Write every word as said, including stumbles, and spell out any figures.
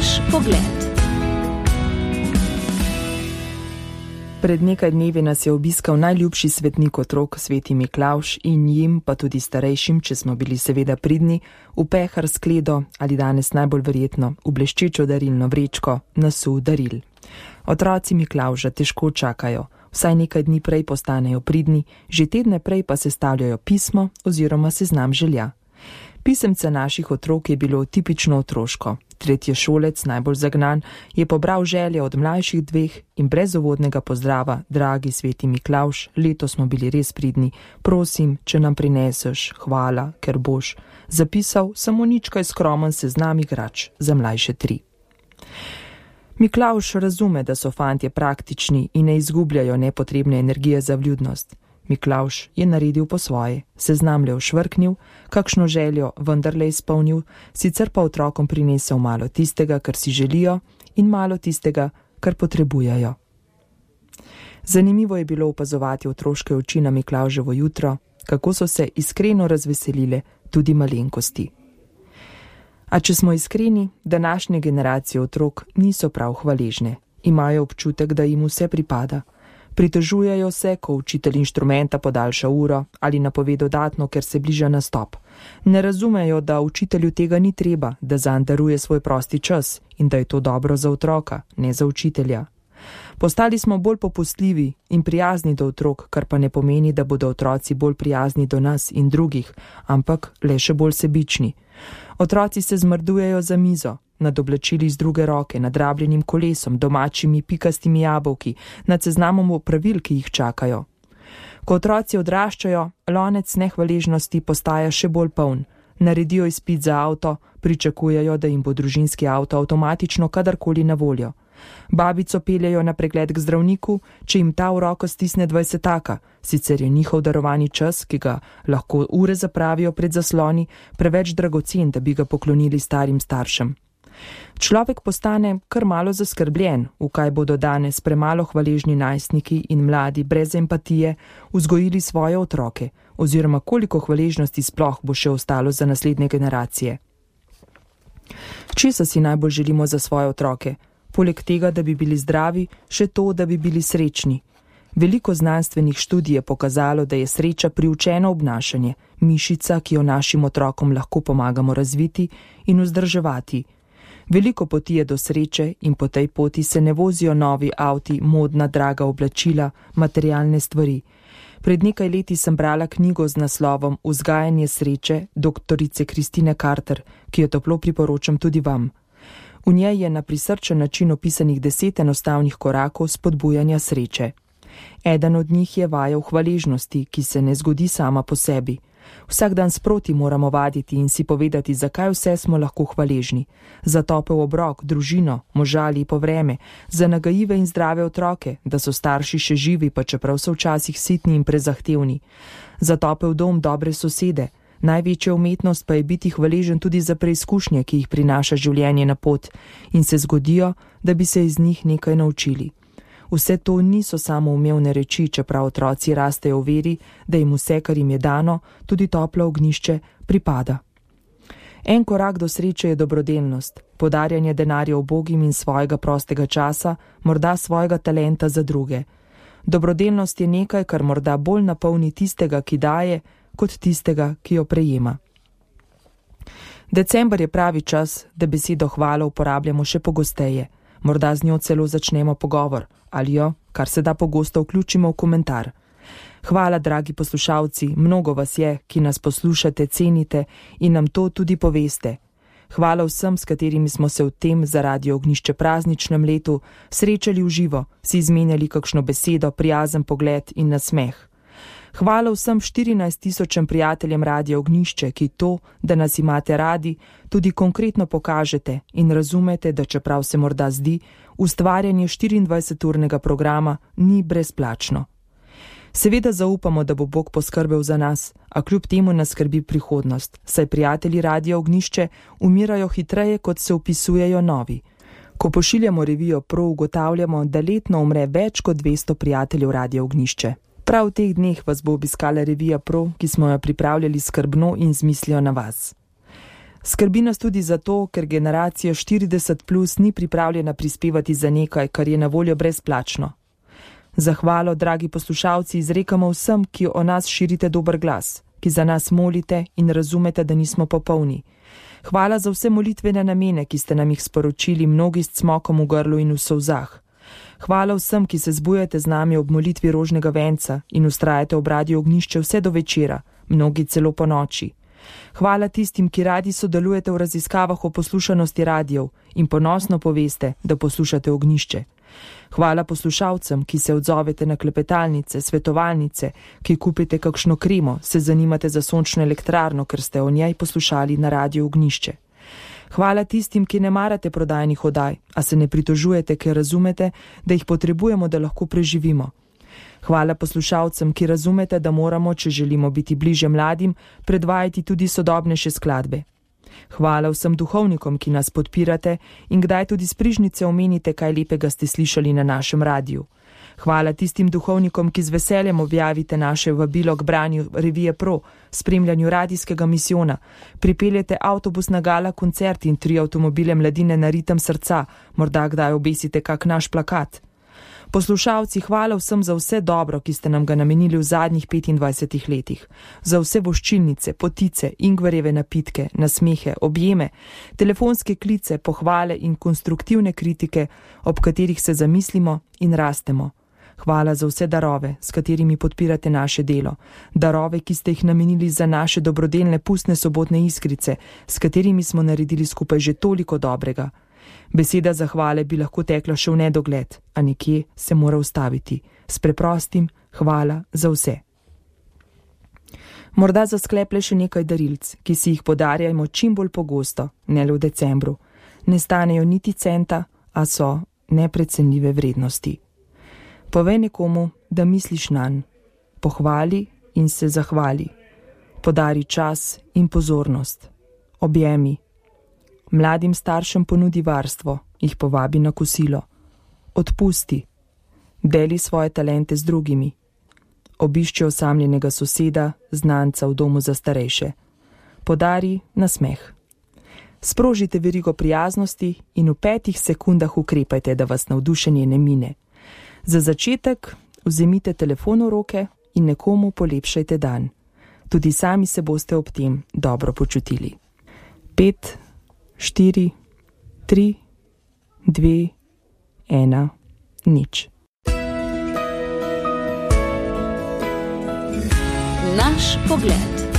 Naš pogled. Pred nekaj dnevi nas je obiskal najljubši svetnik otrok, sveti Miklavž, in jim, pa tudi starejšim, če smo bili seveda pridni, v pehar skledo ali danes najbolj verjetno v bleščečo darilno vrečko nasul daril. Otroci Miklavža težko čakajo, vsaj nekaj dni prej postanejo pridni, že tedne prej pa sestavljajo pismo oziroma seznam želja. Pisemce naših otrok je bilo tipično otroško. Tretješolec, najbolj zagnan, je pobral želje od mlajših dveh in brez uvodnega pozdrava: dragi sveti Miklavž, letos smo bili res pridni, prosim, če nam prineseš, hvala, ker boš, zapisal samo ničkaj skromen seznam igrač za mlajše tri. Miklavž razume, da so fantje praktični in ne izgubljajo nepotrebne energije za vljudnost. Miklavž je naredil po svoje, seznam le ošvrknil, kakšno željo vendarle izpolnil, sicer pa otrokom prinesel malo tistega, kar si želijo, in malo tistega, kar potrebujejo. Zanimivo je bilo opazovati otroške oči na Miklavževo jutro, kako so se iskreno razveselile tudi malenkosti. A če smo iskreni, današnje generacije otrok niso prav hvaležne, imajo občutek, da jim vse pripada. Pritožujejo se, ko učitelj inštrumenta podaljša uro ali napove dodatno, ker se bliža nastop. Ne razumejo, da učitelju tega ni treba, da zanj daruje svoj prosti čas in da je to dobro za otroka, ne za učitelja. Postali smo bolj popustljivi in prijazni do otrok, kar pa ne pomeni, da bodo otroci bolj prijazni do nas in drugih, ampak le še bolj sebični. Otroci se zmrdujejo za mizo, nad oblačili z druge roke, nad rabljenim kolesom, domačimi pikastimi jabolki, nad seznamom opravil, ki jih čakajo. Ko otroci odraščajo, lonec nehvaležnosti postaja še bolj poln. Naredijo izpit za avto, pričakujejo, da jim bo družinski avto avtomatično kadarkoli na voljo. Babico peljejo na pregled k zdravniku, če jim ta v roko stisne dvajsetaka, sicer je njihov darovani čas, ki ga lahko ure zapravijo pred zasloni, preveč dragocen, da bi ga poklonili starim staršem. Človek postane kar malo zaskrbljen, v kaj bodo danes premalo hvaležni najstniki in mladi brez empatije vzgojili svoje otroke, oziroma koliko hvaležnosti sploh bo še ostalo za naslednje generacije. Česa si najbolj želimo za svoje otroke? Poleg tega, da bi bili zdravi, še to, da bi bili srečni. Veliko znanstvenih študij je pokazalo, da je sreča priučeno obnašanje, mišica, ki jo našim otrokom lahko pomagamo razviti in vzdrževati. Veliko poti je do sreče in po tej poti se ne vozijo novi avti, modna, draga oblačila, materialne stvari. Pred nekaj leti sem brala knjigo z naslovom Vzgajanje sreče doktorice Kristine Carter, ki jo toplo priporočam tudi vam. V njej je na prisrčen način opisanih deset enostavnih korakov spodbujanja sreče. Eden od njih je vaja v hvaležnosti, ki se ne zgodi sama po sebi. Vsak dan sproti moramo vaditi in si povedati, zakaj vse smo lahko hvaležni. Za topel obrok, družino, moža ali po vreme, za nagajive in zdrave otroke, da so starši še živi, pa čeprav so včasih sitni in prezahtevni. Za topel dom, dobre sosede. Največja umetnost pa je biti hvaležen tudi za preizkušnje, ki jih prinaša življenje na pot in se zgodijo, da bi se iz njih nekaj naučili. Vse to niso samo umevne reči, čeprav otroci rastejo v veri, da jim vse, kar jim je dano, tudi toplo ognjišče, pripada. En korak do sreče je dobrodelnost, podarjanje denarja ubogim in svojega prostega časa, morda svojega talenta za druge. Dobrodelnost je nekaj, kar morda bolj napolni tistega, ki daje, kot tistega, ki jo prejema. December je pravi čas, da besedo hvala uporabljamo še pogosteje. Morda z njo celo začnemo pogovor, ali jo, kar se da pogosto, vključimo v komentar. Hvala, dragi poslušalci, mnogo vas je, ki nas poslušate, cenite in nam to tudi poveste. Hvala vsem, s katerimi smo se v tem za Radio Ognjišče prazničnem letu srečali v živo, si izmenjali kakšno besedo, prijazen pogled in nasmeh. Hvala vsem štirinajst tisočem prijateljem Radia Ognjišče, ki to, da nas imate radi, tudi konkretno pokažete in razumete, da čeprav se morda zdi, ustvarjanje štiriindvajseturnega programa ni brezplačno. Seveda zaupamo, da bo Bog poskrbel za nas, a kljub temu nas skrbi prihodnost, saj prijatelji Radia Ognjišče umirajo hitreje, kot se vpisujejo novi. Ko pošiljamo revijo Pro, ugotavljamo, da letno umre več kot dvesto prijateljev Radia Ognjišče. Prav v teh dneh vas bo obiskala revija Pro, ki smo jo pripravljali skrbno in z mislijo na vas. Skrbi nas tudi zato, ker generacija štirideset plus ni pripravljena prispevati za nekaj, kar je na voljo brezplačno. Zahvalo, dragi poslušalci, izrekamo vsem, ki o nas širite dober glas, ki za nas molite in razumete, da nismo popolni. Hvala za vse molitvene namene, ki ste nam jih sporočili, mnogi s cmokom v grlu in v solzah. Hvala vsem, ki se zbujate z nami ob molitvi rožnega venca in ustrajate ob Radiu Ognjišče vse do večera, mnogi celo po noči. Hvala tistim, ki radi sodelujete v raziskavah o poslušanosti radijev in ponosno poveste, da poslušate Ognjišče. Hvala poslušalcem, ki se odzovete na klepetalnice, svetovalnice, ki kupite kakšno kremo, se zanimate za sončno elektrarno, ker ste o njej poslušali na Radiu Ognjišče. Hvala tistim, ki ne marate prodajnih oddaj, a se ne pritožujete, ker razumete, da jih potrebujemo, da lahko preživimo. Hvala poslušalcem, ki razumete, da moramo, če želimo biti bliže mladim, predvajati tudi sodobnejše skladbe. Hvala vsem duhovnikom, ki nas podpirate in kdaj tudi s prižnice omenite, kaj lepega ste slišali na našem radiju. Hvala tistim duhovnikom, ki z veseljem objavite naše vabilo k branju revije Pro, spremljanju radijskega misijona, pripeljete avtobus na gala koncert in tri avtomobile mladine na ritem srca, morda kdaj obesite kak naš plakat. Poslušalci, hvala vsem za vse dobro, ki ste nam ga namenili v zadnjih petindvajsetih letih. Za vse voščilnice, potice, ingverjeve napitke, nasmehe, objeme, telefonske klice, pohvale in konstruktivne kritike, ob katerih se zamislimo in rastemo. Hvala za vse darove, s katerimi podpirate naše delo. Darove, ki ste jih namenili za naše dobrodelne pustne sobotne iskrice, s katerimi smo naredili skupaj že toliko dobrega. Beseda zahvale bi lahko tekla še v nedogled, a nekje se mora ustaviti. S preprostim hvala za vse. Morda za skleple še nekaj darilc, ki si jih podarjajmo čim bolj pogosto, ne le v decembru. Ne stanejo niti centa, a so neprecenljive vrednosti. Povej nekomu, da misliš nanj. Pohvali in se zahvali. Podari čas in pozornost. Objemi. Mladim staršem ponudi varstvo, jih povabi na kosilo. Odpusti. Deli svoje talente z drugimi. Obišči osamljenega soseda, znanca v domu za starejše. Podari nasmeh. Sprožite verigo prijaznosti in v petih sekundah ukrepajte, da vas navdušenje ne mine. Za začetek vzemite telefon v roke in nekomu polepšajte dan. Tudi sami se boste ob tem dobro počutili. Pet, štiri, tri, dve, ena, nič. Naš pogled.